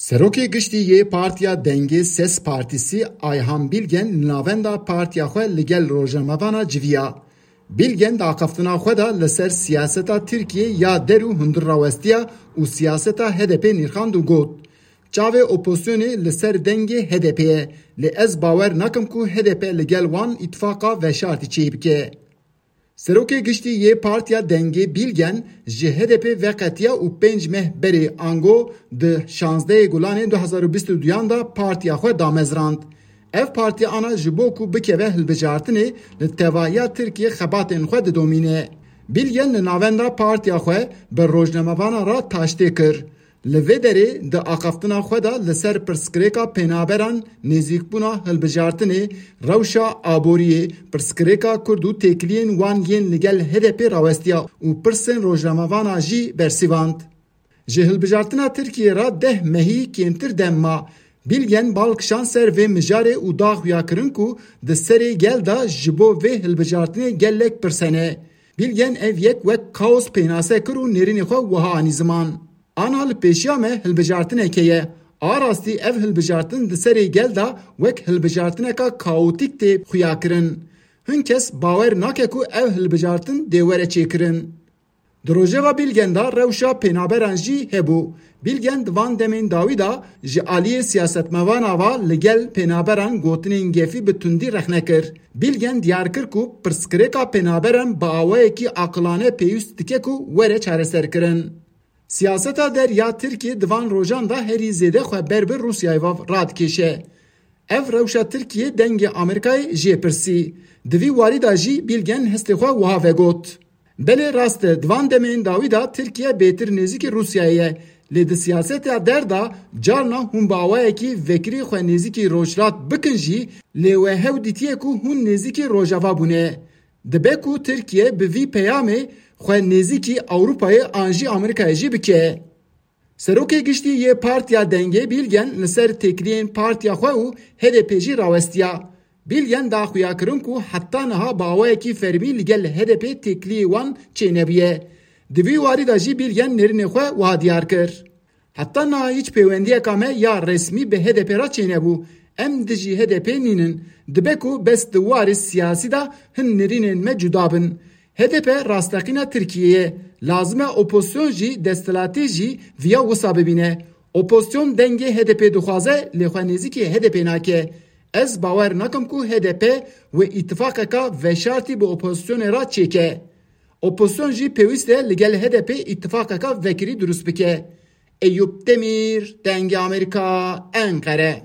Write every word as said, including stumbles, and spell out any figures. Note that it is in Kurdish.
Serokê Giştî yê Partiya Dengê Ses Partisi Ayhan Bilgen li navenda partiya xwe li gel rojnamevana civiya. Bilgen di axaftina xwe de li ser siyaseta Tirkiyê ya der û hundir rawestiya û siyaseta H D P nirxand û got, "Çavê opozisyonê li ser dengê H D P ye, lê ez bawer nakim ku H D P li gel wan îtifaqa veşartî çêbike." Serokê Giştî yê Partiya Dengê Bilgen ji H D P veqetiya û pênc meh berê ango di şazdehê Gulanê du hezar û bîst û duyan de partiya xwe damezrand. Ev partiya ana ji bo ku bikeve hilbijartinê li tevahiya Tirkiyê xebatên xwe didomîne. Bilgen li navenda partiya xwe bi rojnamevanan re taştê kir. Li vê derê di axaftina xwe de li ser pirsgirêka pênaberan, nêzîkbûna hilbijartinê, rewşa aboriyê, pirsgirêka Kurd û têkiliyên wan yên li gel H D P rawestiya û pirsên rojnamevana jî bersivand. Ji hilbijartina Tirkiyê re deh mehî kêmtir dem ma. Bilgen bal kişand ser vê mijarê û da xuyakirin ku di serê gel de ji bo vê hilbijartinê gelek pirs hene. Bilgen ev yek wek kaos pênase kir û nêrînê xwe wiha anî ziman. Ana li pêşiya me hilbijartineke ye. A rastî ev hilbijartin di serê gel de wek hilbijartineka kaotîk tê xuyakirin. Hin kes bawer nake ku ev hilbijartin dê were çêkirin. Di rojeva Bilgen de rewşa pênaberan jî hebû. Bilgen di van demên dawî de ji aliyê siyasetmevana ve li gel pênaberan gotinên gefî bi tundî rexne kir. Bilgen diyar kir ku pirsgirêka pênaberan bi awayekî aqilane pêwîst dike ku were çareserkirin. Siyaseta der ya Tirkiyê di van rojan de herî zêde xwe ber bi Rûsyayê ve radikêşe. Ev rewşa Tirkiyê dengê Amerîkayê jê pirsî. Di vî warî de jî Bilgen hestê xwe wiha vegot, "Belê rast e, di van demên dawî de Tirkiye bêtir nêzîkî Rûsyayê ye. Lê di siyaseta der de carna hûn bi awayekî vekirî xwe nêzîkî Rojhilat bikin jî, lê we hew dîtiye ku hûn nêzîkî Rojava bûne. Dibe ku Tirkiye bi vî peyamê xwe nêzîkî Ewropayê an jî Amerîkayê jî bike." Serokê Giştî yê Partiya Dengê Bilgen li ser têkiliyên partiya xwe û H D P jî rawestiya. Bilgen da xuyakirin ku heta niha bi awayekî fermî li gel H D P têkiliyê wan çênebûye. Di vî warî de jî Bilgen nêrînê xwe wiha diyar kir, "Heta niha hîç pêwendiyeka me ya resmî bi H D P re çênebû. Em dijî H D P nînin. Dibe ku bes di warê siyasî de hin nêrînên me cuda bin. H D P rasteqîna Tirkiyeyê ye. Lazim e opozisyon jî, desthilatî jî viya wisa bibîne. Opozisyon dengê H D P dixwaze, lê xwe nêzîkî H D P nake. Ez bawer nakim ku H D P wê îtifaqeka veşartî bi opozisyonê re çêke. Opozisyon jî pêwîst e li gel H D P îtifaqeka vekirî dirust bike." Eyûp Demîr, Dengê Amerîka, Enqere.